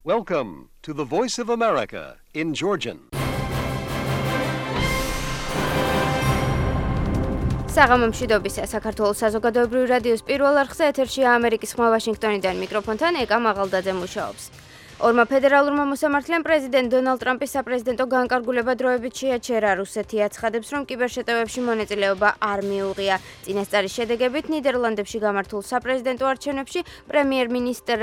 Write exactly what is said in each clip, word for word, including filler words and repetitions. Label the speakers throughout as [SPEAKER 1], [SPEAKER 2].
[SPEAKER 1] Welcome to the Voice of America in Georgian.
[SPEAKER 2] საღამო მშვიდობისა საქართველოს საზოგადოებრივი რადიოს პირველ არხზე ეთერშია ამერიკის ხმა ვაშინგტონიდან მიკროფონთან ეკა მაღალდაძე მუშაობს. ორმა ფედერალურმა მოსამართლემ პრეზიდენტ დონალდ ტრამპის საპრეზიდენტო განკარგულება დროებით შეაჩერა. რუსეთი აცხადებს, რომ კიბერშეტევებში მონაწილეობა არ მიუღია. წინასწარის შედეგებით ნიდერლანდებში გამართულ საპრეზიდენტო არჩევნებში პრემიერ-მინისტრ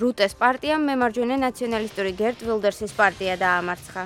[SPEAKER 2] რუტეს პარტიამ მემარჯვენე ნაციონალისტური გერტ ვილდერსის პარტია დაამარცხა.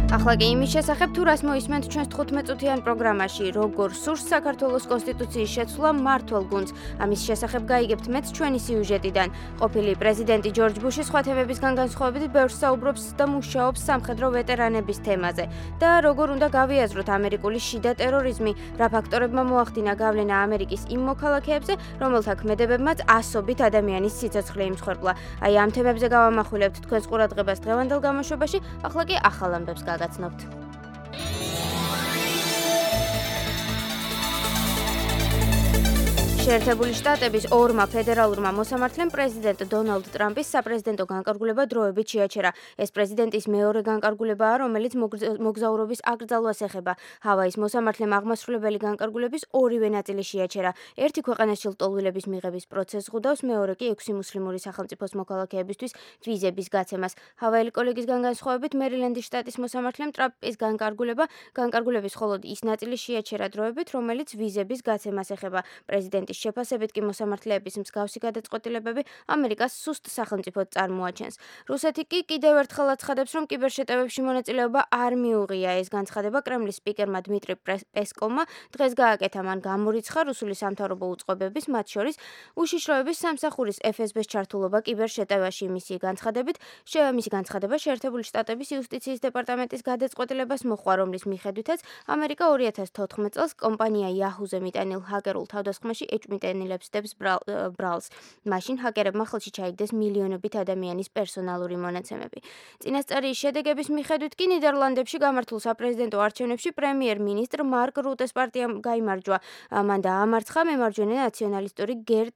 [SPEAKER 2] ახლა კი იმის შესახებ თუ რას მოისმენთ ჩვენს თხუთმეტ-წუთიან პროგრამაში, როგორ სურს საქართველოს კონსტიტუციის შეცვლა მმართველ გუნდს. ამის შესახებ გაიგებთ მეც ჩვენი სიუჟეტიდან. ყოფილი პრეზიდენტი ჯორჯ ბუში სხვა თემებისგან განსხვავებით ბევრს საუბრობს და მუშაობს სამხედრო ვეტერანების თემაზე და როგორ უნდა გავიაზროთ ამერიკული შიდა ტერორიზმი, რა ფაქტორებმა მოახდინა გავლენა ამერიკის იმ მოქალაქეებზე, რომელთა ქმედებებმაც ასობით ადამიანის სიცოცხლე იმსხვერპლა. აი ამ თემებზე გავამახვილებთ თქვენს ყურადღებას დღევანდელ გამოშვებაში, ახლა კი ახალ ამბებს გაგაცნობთ. შეერთებული შტატების ორმა ფედერალურმა მოსამართლემ პრეზიდენტ დონალდ ტრამპის საპრეზიდენტო განკარგულება დროებით შეაჩერა. ეს პრეზიდენტის მეორე განკარგულებაა, რომელიც მოგზაურობის აკრძალვას ეხება. ჰავაის მოსამართლემ აღმასრულებელი განკარგულების ორივე ნაწილი შეაჩერა. ერთი ქვეყანაში ლტოლვილების მიღების პროცესს ღვდავს, მეორე კი ექვსი მუსლიმური სახელმწიფოს მოქალაქეებისთვის ვიზების გაცემას. ჰავაიელი კოლეგისგან განსხვავებით, მერილენდის შტატის მოსამართლემ ტრამპის განკარგულება განკარგულების მხოლოდ ის ნაწილი შეაჩერა დროებით, რომელიც ვიზების გაცემას ეხება. პრეზიდენტის შეფასებით კი მოსამართლეების მსგავსი გადაწყვეტილებები ამერიკას სუსტ სახელმწიფოდ წარმოაჩენს. რუსეთი კი კიდევ ერთხელ აცხადებს, რომ კიბერშეტევებში მონაწილეობა არ მიუღია. ეს განცხადება კრემლის სპიკერმა დმიტრი პესკოვმა დღეს გააკეთა. მან გამორიცხა რუსული სამთავრობო უწყობების, მათ შორის უშიშროების სამსახურის ეფ ეს ბეს ჩართულობა კიბერშეტევაში. მისი განცხადებით, მისი განცხადება შეერთებული შტატების იუსტიციის დეპარტამენტის გადაწყვეტილებას მოჰყვა, რომლის მიხედვითაც ამერიკა ორი ათას თოთხმეტ წელს კომპანია Yahoo-ზე მიტანილ ჰაკერულ თავდასხმაში ეჭვმიტანილებს დებს ბრალს. მაშინ ჰაკერებმა ხელში ჩაიგდეს მილიონობით ადამიანის პერსონალური მონაცემები. წინასწარი შედეგების მიხედვით კი ნიდერლანდებში გამართულ საპრეზიდენტო არჩევნებში პრემიერ-მინისტრ მარკ რუტეს პარტიამ გაიმარჯვა. მან დაამარცხა მემარჯვენე ნაციონალისტური გერტ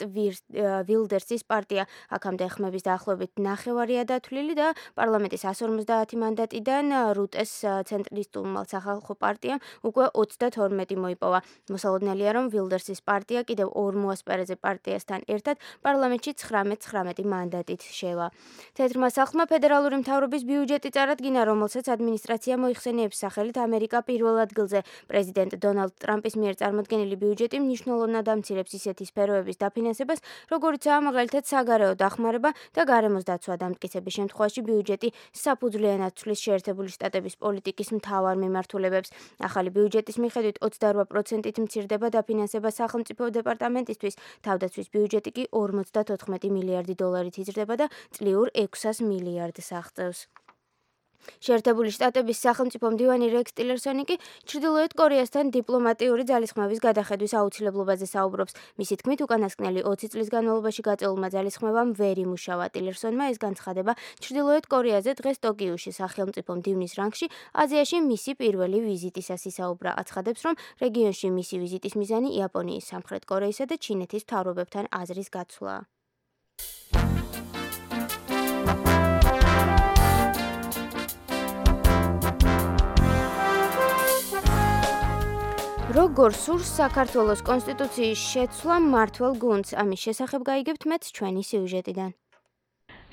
[SPEAKER 2] ვილდერსის პარტია. აქამდე ხმების დაახლოებით ნახევარია დათვლილი და პარლამენტის εκατს ორმოცდაათი მანდატიდან რუტეს ცენტრისტულმა სახალხო პარტიამ უკვე ოცდათორმეტი მოიპოვა. მოსალოდნელია, რომ ვილდერსის პარტია კიდევ ორ მოასპარეზე პარტიასთან ერთად პარლამენტში ცხრამეტ ცხრამეტი მანდატით შევა. თეთრმა სახლმა ფედერალური მთავრობის ბიუჯეტი წარადგინა, რომელსაც ადმინისტრაცია მოიხსენიებს სახელით ამერიკა პირველ ადგილზე. პრეზიდენტ დონალდ ტრამპის მიერ წარმოდგენილი ბიუჯეტი მნიშვნელოვნად ამცირებს ისეთი სფეროების დაფინანსებას, როგორიცაა მაგალითად საგარეო დახმარება და გარემოს დაცვა. დამტკიცების შემთხვევაში ბიუჯეტი საფუძვლიანად ცვლის შეერთებული შტატების პოლიტიკის მთავარ მიმართულებებს. ახალი ბიუჯეტის მიხედვით ოცდარვა პროცენტით მცირდება დაფინანსება სახელმწიფო დეპარტამენტისთვის, თავდაცვის ბიუჯეტი კი ორმოცდათოთხმეტი მილიარდი დოლარით იზრდება და წლიურ ექვსას მილიარდს აღწევს. შეერთებული შტატების სახელმწიფო მდივანი რექს ტილერსონი კი ჩრდილოეთ კორეასთან დიპლომატიური ძალისხმევის გადახედვის აუცილებლობაზე საუბრობს. მისი თქმით, უკანასკნელი ოცი წლის განმავლობაში გაწეულმა ძალისხმევამ ვერ იმუშავა. ტილერსონმა ეს განცხადება ჩრდილოეთ კორეაზე დღეს ტოკიოში სახელმწიფო მდივნის რანგში აზიაში მისი პირველი ვიზიტისას ისაუბრა. აცხადებს, რომ რეგიონში მისი ვიზიტის მიზანი იაპონიის, სამხრეთ კორეისა და ჩინეთის მთავრობებთან აზრის გაცვლაა. როგორ სურს საქართველოს კონსტიტუციის შეცვლა მმართველ გუნდს. ამის შესახებ გაიგებთ მეც ჩვენი სიუჟეტიდან.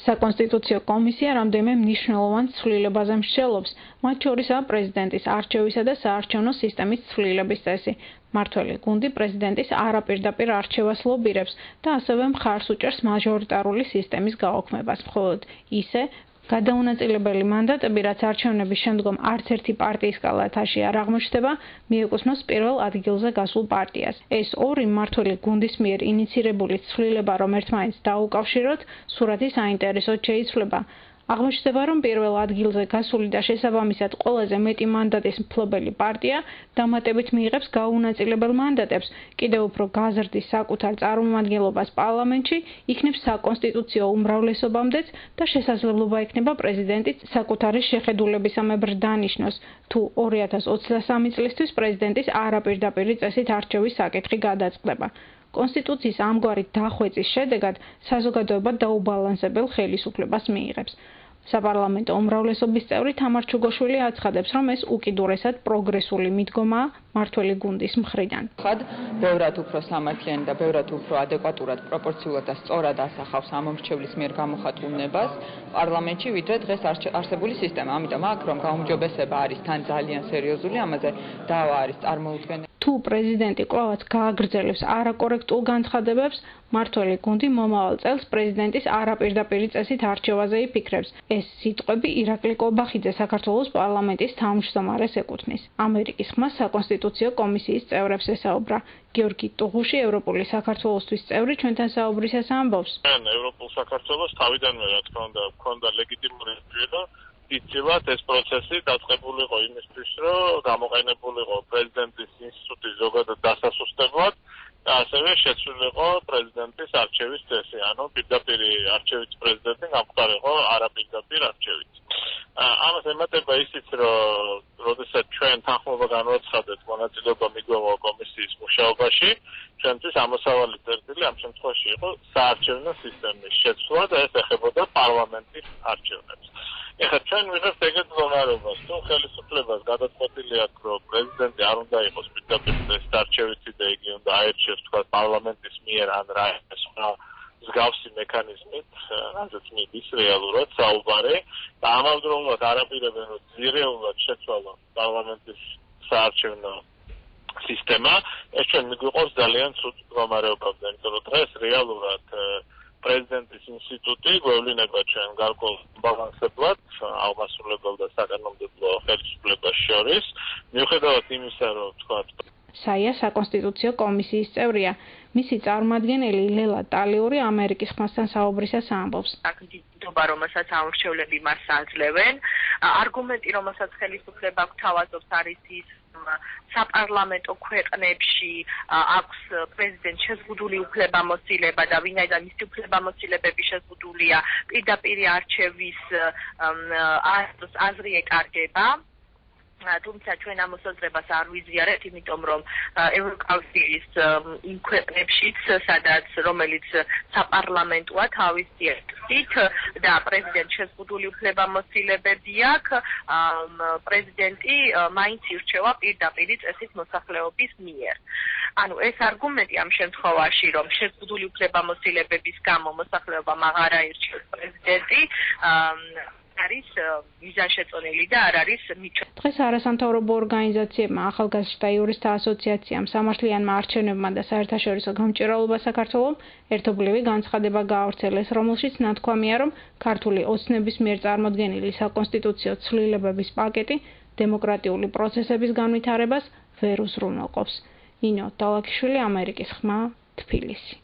[SPEAKER 3] საკონსტიტუციო კომისია რამდენიმე მნიშვნელოვან ცვლილებაზე მსჯელობს, მათ შორისაა პრეზიდენტის არჩევისა და საარჩევნო სისტემის ცვლილების წესი. მმართველი გუნდი პრეზიდენტის არაპირდაპირ არჩევას ლობირებს და ასევე მხარს უჭერს მაჟორიტარული სისტემის გაუქმებას. მხოლოდ ისე გადაუნაწილებელი მანდატები, რაც არჩევნების შემდგომ არც ერთი პარტიის კალათაში არ აღმოჩნდება, მიეკუთვნოს პირველ ადგილზე გასულ პარტიას. ეს ორი მმართველი გუნდის მიერ ინიცირებული ცვლილება, რომ ერთმანეთს დაუკავშიროთ, სურათი საინტერესოდ შეიცვლება. აღმოჩნდება, რომ პირველ ადგილზე გასული და შესაბამისად ყველაზე მეტი მანდატის მფლობელი პარტია დამატებით მიიღებს გაუნაწილებელ მანდატებს, კიდევ უფრო გაზრდის საკუთარ წარმომადგენლობას პარლამენტში, იქნებს საკონსტიტუციო უმრავლესობამდეც და შესაძლებლობა ექნება პრეზიდენტის საკუთარი შეხედულებისამებრ დანიშნოს, თუ ორი ათას ოცდასამი წლისთვის პრეზიდენტის არაპირდაპირი წესით არჩევის საკითხი გადაწყდება. კონსტიტუციის ამგვარი დახვეწის შედეგად საზოგადოება დაუბალანსებელ ხელისუფლებას მიიღებს. საპარლამენტო უმრავლესობის წევრი თამარ ჩუგოშვილი აცხადებს, რომ ეს უკიდურესად პროგრესული მიდგომაა მმართველი გუნდის მხრიდან.
[SPEAKER 4] ხად ბევრად უფრო სამართლიანი და ბევრად უფრო ადეკვატურად, პროპორციულად და სწორად ასახავს ამომრჩევლის მიერ გამოხატულ ნებას პარლამენტში, ვიდრე დღეს არსებული სისტემა. ამიტომ აქ რომ გაუმჯობესება არის თან ძალიან სერიოზული, ამაზე დავა არის წარმოუდგენელი.
[SPEAKER 3] თუ პრეზიდენტი კვლავაც გააგრძელებს არაკორექტულ განცხადებებს, მმართველი გუნდი მომავალ წელს პრეზიდენტის არაპირდაპირი წესით არჩევაზე იფიქრებს. ეს სიტყვები ირაკლი კობახიძე საქართველოს პარლამენტის თავმჯდომარეს ეკუთვნის. ამერიკის ხმა საკონსტიტუციო კომისიის წევრებს ესაუბრა. გიორგი ტუღუში, ევროპული საქართველოსთვის წევრი, ჩვენთან საუბრისას ამბობს.
[SPEAKER 5] ევროპულ საქართველოს თავიდანვე რა თქმა უნდა ჰქონდა ლეგიტიმური და იცილად ეს პროცესი დაწყებულიყო იმისთვის, რომ გამოყენებულიყო პრეზიდენტის ინსტიტუტის ზოგადად დასასუსტებლად და ასევე შეცვლილიყო პრეზიდენტის არჩევის წესი, ანუ პირდაპირ არჩევით პრეზიდენტი გამხდარიყო არაპირდაპირ არჩევით. ამას ემატება ისიც, რომ როდესაც ჩვენ თანხმობა განვაცხადეთ მონაწილეობა მიგვეღო კომისიის მუშაობაში, ჩვენთვის ამოსავალი წერტილი ამ შემთხვევაში იყო საარჩევნო სისტემის შეცვლა და ეს ეხებოდა პარლამენტის არჩევნებს. ეხლა ჩვენ ვიღებთ ეგეთ მდგომარეობას, თუ ხელისუფლებას გადაწყვეტილი აქვს, რომ პრეზიდენტი არ უნდა იყოს პირდაპირ წესით არჩევითი და იგი უნდა აერჩიოს თქვა პარლამენტის მიერ ან რა სხვა მსგავსი მექანიზმით, რაზეც მიდის რეალურად საუბარი და ამავდროულად არაპირებენ, რომ ძირეულად შეცვალა პარლამენტის საარჩევნო სისტემა, ეს ჩვენ მიგვიყვავს ძალიან ცუდ მდგომარეობამდე, იმიტომ რომ დღეს რეალურად პრეზიდენტის ინსტიტუტი გვევლინება ჩვენ გარკვეულ ბალანსებლად აღმასრულებელ და საკანონმდებლო ხელისუფლებას შორის, მიუხედავად იმისა, რომ თქვა
[SPEAKER 3] საია საკონსტიტუციო კომისიის წევრია. მისი წარმომადგენელი ლელა ტალიური ამერიკის ხმასთან საუბრისას ამბობს.
[SPEAKER 6] აქტივობა, რომელსაც ამორჩევლები მას აძლევენ, არგუმენტი, რომელსაც ხელისუფლება გვთავაზობს, არის ის, საპარლამენტო ქვეყნებში აქვს პრეზიდენტ შეზღუდული უფლებამოსილება და ვინაიდან მისი უფლებამოსილებები შეზღუდულია, პირდაპირ არჩევის აზრი ეკარგება. თუმცა ჩვენ ამ მოსაზრებას არ ვიზიარებთ, იმიტომ რომ ევროკავშირის იმ ქვეყნებშიც, სადაც რომელიც საპარლამენტოა თავისი აქტით და პრეზიდენტ შეზღუდული უფლებამოსილებები აქვს, პრეზიდენტი მაინც ირჩევა პირდაპირ წესით მოსახლეობის მიერ. ანუ ეს არგუმენტი ამ შემთხვევაში, რომ შეზღუდული უფლებამოსილებების გამო მოსახლეობამ აღარ აირჩევს პრეზიდენტი, არის მიზანშეწონილი და არ არის მიჩვენებული.
[SPEAKER 3] დღეს არასამთავრობო ორგანიზაციებმა, ახალგაზრდა იურისტთა ასოციაციამ, სამართლიანმა არჩევნებმა და საერთაშორისო გამჭირვალობა საქართველომ ერთობლივი განცხადება გაავრცელეს, რომელშიც ნათქვამია, რომ ქართული ოცნების მიერ წარმოდგენილი საკონსტიტუციო ცვლილებების პაკეტი დემოკრატიული პროცესების განვითარებას ვერ უზრუნველყოფს. ნინო დალაქიშვილი, ამერიკის ხმა, თბილისი.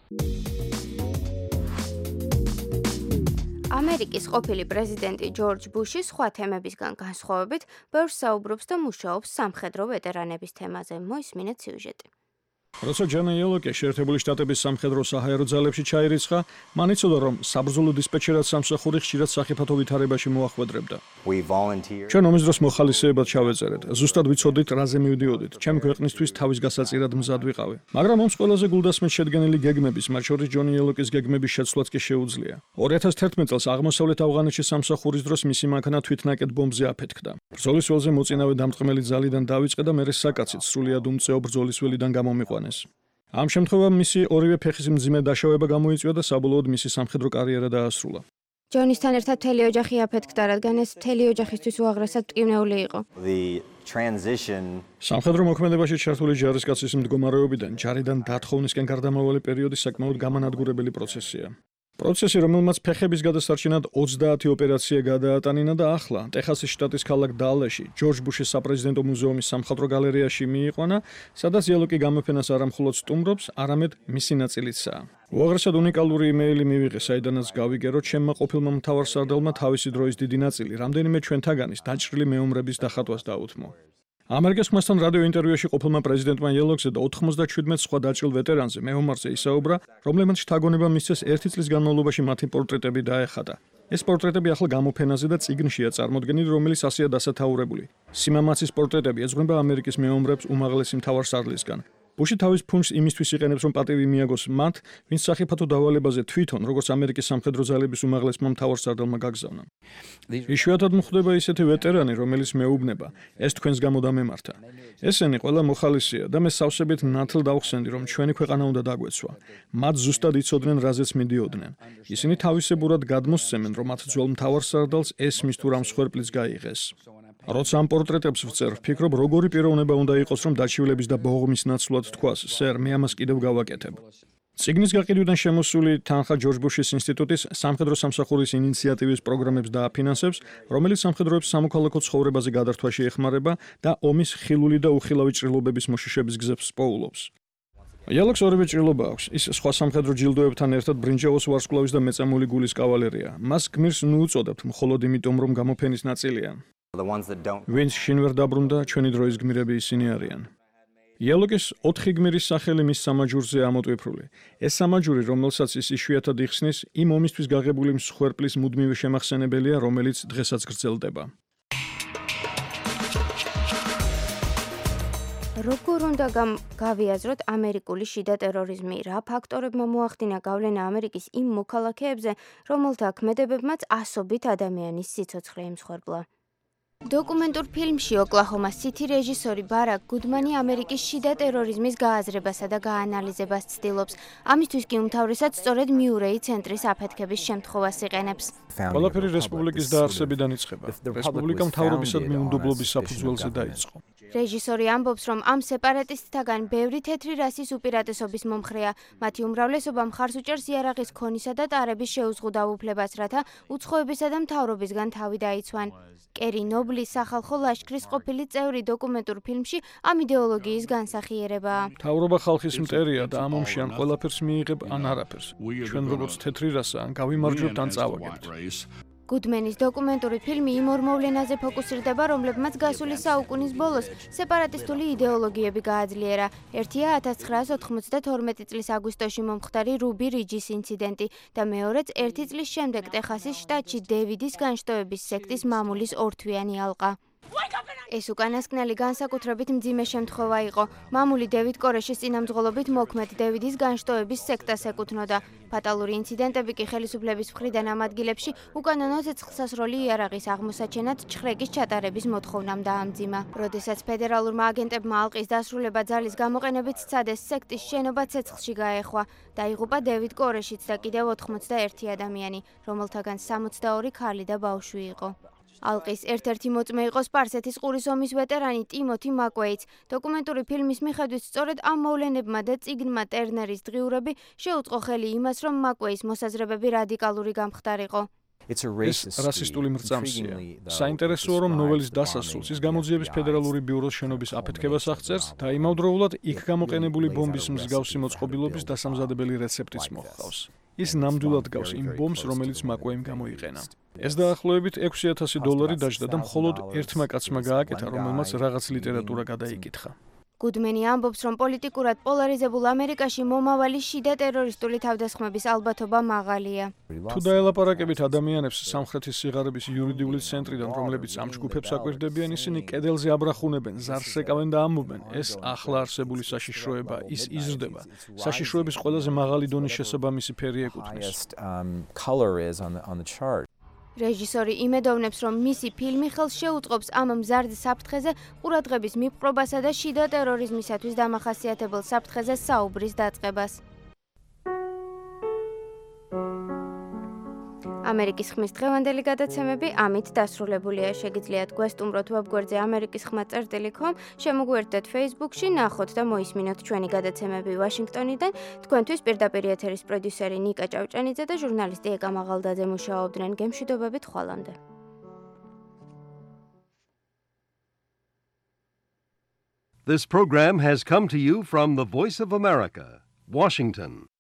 [SPEAKER 2] ამერიკის ყოფილი პრეზიდენტი ჯორჯ ბუში სხვა თემებისგან განსხვავებით ბევრს საუბრობს და მუშაობს სამხედრო ვეტერანების თემაზე. მოისმინეთ სიუჟეტი.
[SPEAKER 7] როცა ჯანა იელოკე შეერთებული შტატების სამხედრო საჰაერო ძალებში ჩაირიცხა, მან იცოდა, რომ საბრძოლო დისპეჩერად სამსახური ხშირად სახიფათო ვითარებაში მოახვედრებდა. ჩვენ ომის დროს მოხალისეებად ჩავეწერეთ. ზუსტად ვიცოდით, რაზე მივდიოდით. ჩემი ქვეყნისთვის თავის გასაწირად მზად ვიყავი. მაგრამ ომს ყველაზე გულდასმით შედგენილი გეგმების, მათ შორის ჯონი იელოკის გეგმების შეცვლაც კი შეუძლია. ორი ათას თერთმეტ წელს აღმოსავლეთ ავღანეთში სამსახურის დროს მისი მანქანა თვითნაკეთ ბომბზე აფეთქდა. ბრძოლის ველზე მოწინავე დამტყმელი ძალიდან დავიწყე და მერე საკაცით სრულიად უმწეო ბრძოლის ველიდან გამომიყვანეს. ამ შემთხვევამ მისი ორივე ფეხის მძიმე დაშავება გამოიწვია და საბოლოოდ მისი სამხედრო კარიერა დაასრულა.
[SPEAKER 2] ჯონისთან ერთად მთელი ოჯახი აფეთქდა, რადგან ეს მთელი ოჯახისთვის უაღრესად მტკივნეული იყო.
[SPEAKER 7] სამხედრო მოქმედებაში ჩართული ჯარისკაცის მდგომარეობიდან ჯარიდან დათხოვნისკენ გარდამავალი პერიოდი საკმაოდ გამანადგურებელი პროცესია. პროცესი, რომელმაც ფეხების გადასარჩენად ოცდაათი ოპერაცია გადაატანინა და ახლა ტეხასის შტატის ქალაქ დალეში ჯორჯ ბუშის საპრეზიდენტო მუზეუმის სამხატვრო გალერეაში მიიყვანა, სადაც იელოკი გამოფენას არა მხოლოდ სტუმრობს, არამედ მისი ნაწილიცაა. უაღრესად უნიკალური იმეილი მივიღე, საიდანაც გავიგე, რომ ჩემმა ყოფილმა მთავარსარდალმა თავისი დროის დიდი ნაწილი რამდენიმე ჩვენთაგანის დაჭრილი მეომრების დახატვას დაუთმო. ამერიკის ხმასთან რადიო ინტერვიუში ყოფილმა პრეზიდენტმა იელოქზე და ოთხმოცდაჩვიდმეტ სხვა დაჭრილ ვეტერანზე მეომარზე ისაუბრა, რომლებმაც შთაგონება მისცეს ერთი წლის განმავლობაში მათი პორტრეტები დაეხატა. ეს პორტრეტები ახლა გამოფენაზე და წიგნშია წარმოდგენილი, რომელიც ასეა დასათაურებული. სიმამაცის პორტრეტები ეძღვნება ამერიკის მეომრებს უმაღლესი მთავარსარდლისგან. ბუში თავის ფუნქს იმისთვის იყენებს, რომ პატივი მიაგოს მათ, ვინც სახიფათო დავალებაზე თვითონ, როგორც ამერიკის სამხედრო ძალების უმაღლესმა მთავარსარდალმა გაგზავნა. იშვიათად გვხვდება ისეთი ვეტერანი, რომელიც მეუბნება, ეს თქვენს გამო დამემართა. ესენი ყველა მოხალისეა და მე სავსებით ნათლ დავხსენდი, რომ ჩვენი ქვეყანა უნდა დაგვეცვა. მათ ზუსტად იცოდნენ, რაზეც მიდიოდნენ. ისინი თავისებურად გადმოსცემენ, რომ მათ ძველ მთავარსარდალს ესმის თუ რამ სხერპლიც გაიღეს. როცა ამ პორტრეტებს ვწერ, ვფიქრობ, როგორი პიროვნება უნდა იყოს, რომ დაჩივლების და ბოღმის ნაცვლად თქვას, სერ, მე ამას კიდევ გავაკეთებ. ციგნის გაყიდვიდან შემოსული თანხა ჯორჯ ბუშის ინსტიტუტის სამხედრო სამსახურის ინიციატივის პროგრამებს დააფინანსებს, რომელიც სამხედროებს სამოქალაქო ცხოვრებაზე გადართვაში ეხმარება და ომის ხილული და უხილავი ჭრილობების მოშიშების გზებს პოულობს. იალოქს ორივე ჭრილობა აქვს. ის სხვა სამხედრო ჯილდოებთან ერთად ბრინჯაოს ვარსკვლავის და მეწამული გულის კავალერია. მას გმირს ნუ უწოდებთ მხოლოდ იმიტომ, რომ გამოფენის ნაწილია. ვინც შინ ვერ დაბრუნდა, ჩვენი დროის გმირები ისინი არიან. იალოკის ოთხი გმირის სახელი მის სამაჯურზე ამოტვიფრული. ეს სამაჯური, რომელსაც ის იშვიათად იხსნის, იმ ომისთვის გაღებული მსხვერპლის მუდმივი შემახსენებელია, რომელიც დღესაც გრძელდება.
[SPEAKER 2] როგორ უნდა გავიაზროთ ამერიკული შიდა ტერორიზმი? რა ფაქტორებმა მოახდინა გავლენა ამერიკის იმ მოქალაქეებზე, რომელთა ქმედებებმაც ასობით ადამიანის სიცოცხლე იმსხვერპლა? დოკუმენტურ ფილმში ოკლაჰომა სითი რეჟისორი ბარაკ გუდმანი ამერიკის შიდა ტერორიზმის გააზრებასა და გაანალიზებას ცდილობს. ამისთვის კი უმთავრესად სწორედ მიურეი ცენტრის აფეთქების შემთხვევას იყენებს.
[SPEAKER 7] ყველაფერი რესპუბლიკის დაარსებიდან იწყება. რესპუბლიკა მთავრობისადმი უნდობლობის საფუძველზე დაიწყო.
[SPEAKER 2] რეჟისორი ამბობს, რომ ამ სეპარატისტთაგან ბევრი თეთრი რასის უპირატესობის მომხრეა. მათი უმრავლესობა მხარს უჭერს იარაღის ქონისა და ტარების შეუზღუდავ უფლებას, რათა უცხოებისა და მთავრობისგან თავი დაიცვან. კერი ნობლის სახალხო ლაშქრის ყოფილი წევრი დოკუმენტურ ფილმში ამ იდეოლოგიის განსახიერებაა.
[SPEAKER 7] მთავრობა ხალხის მტერია და ამ ომში ან ყველაფერს მიიღებ, ან არაფერს. ჩვენ როგორც თეთრი რასა, ან გავიმარჯვებთ, ან წავაგებთ.
[SPEAKER 2] გუდმენის დოკუმენტური ფილმი იმ ორ მოვლენაზე ფოკუსირდება, რომლებმაც გასული საუკუნის ბოლოს სეპარატისტული იდეოლოგიები გააძლიერა. ერთია ათას ცხრაას ოთხმოცდათორმეტი წლის აგვისტოში მომხდარი რუბი რიჯის ინციდენტი და მეორეც ერთი წლის შემდეგ ტეხასის შტატში დევიდის განშტოების სექტის მამულის ორთვიანი ალყა. ეს უკანასკნელი განსაკუთრებით მძიმე შემთხვევა იყო. მამული დევიდ კორეშის წინამძღოლობით მოქმედ დევიდის განშტოების სექტას ეკუთვნოდა. ფატალური ინციდენტები კი ხელისუფლების მხრიდან ამ ადგილებში უკანონო ცეცხლსასროლი იარაღის აღმოსაჩენად ჩხრეკის ჩატარების მოთხოვნამ დაამძიმა. როდესაც ფედერალურმა აგენტებმა ალყის დასრულება ძალის გამოყენებით სცადეს, სექტის შენობა ცეცხლში გაეხვა. დაიღუპა დევიდ კორეშიც და კიდევ ოთხმოცდაერთი ადამიანი, რომელთაგან სამოცდაორი ქალი და ბავშვი იყო. ალყის ერთ-ერთი მოწმე იყო სპარსეთის ყურის ომის ვეტერანი ტიმოთი მაკვეიც. დოკუმენტური ფილმის მიხედვით სწორედ ამ მოვლენებმა და წიგნმა ტერნერის დღიურები შეუწყო ხელი იმას, რომ მაკვეის მოსაზრებები რადიკალური გამხდარიყო.
[SPEAKER 7] ეს რასისტული მრწამსია. საინტერესოა, რომ ნოველის დასასრულს ის გამოძიების ფედერალური ბიუროს შენობის აფეთქებას აღწერს და იმავდროულად იქ გამოყენებული ბომბის მსგავსი მოწყობილობის დასამზადებელი რეცეპტიც მოჰყავს. ის ნამდვილად გავს იმ ბომბს, რომელიც მაკვეიმ გამოიყენა. ეს დაახლოებით ექვსი ათასი დოლარი დაჯდა და მხოლოდ ერთმა კაცმა გააკეთა, რომელმაც რაღაც ლიტერატურა გადაიკითხა.
[SPEAKER 2] გუდმენი ამბობს, რომ პოლიტიკურად პოლარიზებულ ამერიკაში მომავალი შიდა ტერორისტული თავდასხმების ალბათობა მაღალია.
[SPEAKER 7] თუ დაელაპარაკებით ადამიანებს სამხრეთის სიღარიბის იურიდიული ცენტრიდან, რომლებიც ამ ჯგუფებს აკვირდებიან, ისინი კედელზე აბრახუნებენ, ზარს ეკავენ და ამბობენ, ეს ახლა არსებული საშიშროება, ის იზრდება. საშიშროების ყველაზე მაღალი დონის შესაბამისი ფერი ეკუთვნის.
[SPEAKER 2] რეჟისორი იმედოვნებს, რომ მისი ფილმი ხელს შეუწყობს ამ მზარდ საფრთხეზე ყურადღების მიპყრობასა და შიდა ტერორიზმისათვის დამახასიათებელ საფრთხეზე საუბრის დაწყებას. ამერიკის ხმის დღევანდელი გადაცემები ამით დასრულებულია. შეგიძლიათ გვესტუმროთ ვებგვერდზე ამერიკის ხმა წერტილი კომ, შემოგვიერთდეთ Facebook-ში, ნახოთ და მოისმინოთ ჩვენი გადაცემები ვაშინგტონიდან. თქვენთვის პირდაპირ ეთერის პროდიუსერი ნიკა ჭავჭანიძე და ჟურნალისტი ეკა მაღალდაძე მუშაობდნენ. გემშვიდობებით ხვალამდე.
[SPEAKER 1] This program has come to you from the Voice of America, Washington.